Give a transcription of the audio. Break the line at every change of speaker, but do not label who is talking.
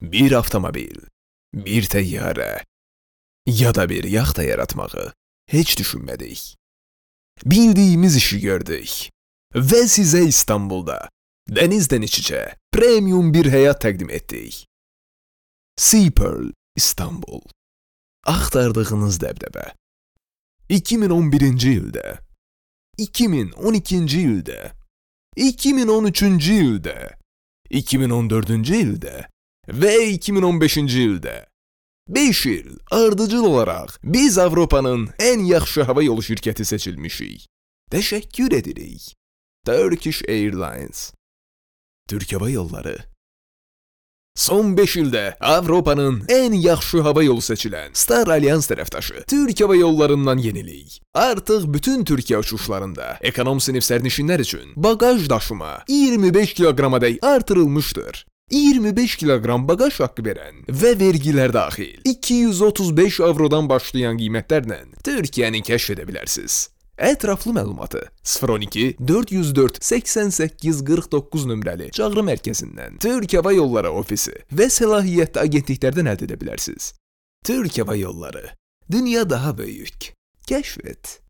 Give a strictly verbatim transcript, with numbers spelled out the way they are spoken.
bir avtomobil, bir təyyarə ya da bir yaxta yaratmağı heç düşünmədik. Bildiyimiz işi gördük və sizə İstanbulda dənizdən iç-içə premium bir həyat təqdim etdik. Seapearl İstanbul. Axtardığınız dəbdəbə. iki min on birinci ildə, iki min on ikinci ildə, iki min on üçüncü ildə, iki min on dördüncü ildə və iki min on beşinci ildə. beş il ardıcıl olaraq biz Avropanın ən yaxşı hava yolu şirkəti seçilmişik. Təşəkkür edirik. Turkish Airlines. Türk Hava Yolları. Son beş ildə Avropanın ən yaxşı hava yolu seçilən Star Alliance tərəfdaşı Türk Hava Yollarından yenilik. Artıq bütün Türkiyə uçuşlarında ekonom sinif sərnişinlər üçün bagaj daşıma iyirmi beş kiloqramadək artırılmışdır. iyirmi beş kiloqram bagaj haqqı verən və vergilər daxil iki yüz otuz beş avrodan başlayan qiymətlərlə Türkiyəni kəşf edə bilərsiniz. Ətraflı məlumatı sıfır on iki dörd yüz dörd səksən səkkiz qırx doqquz nömrəli çağrı mərkəzindən Türk Hava Yolları ofisi və səlahiyyətli agentliklərdən əldə edə bilərsiniz. Türk Hava Yolları. Dünya daha böyük. Kəşf et.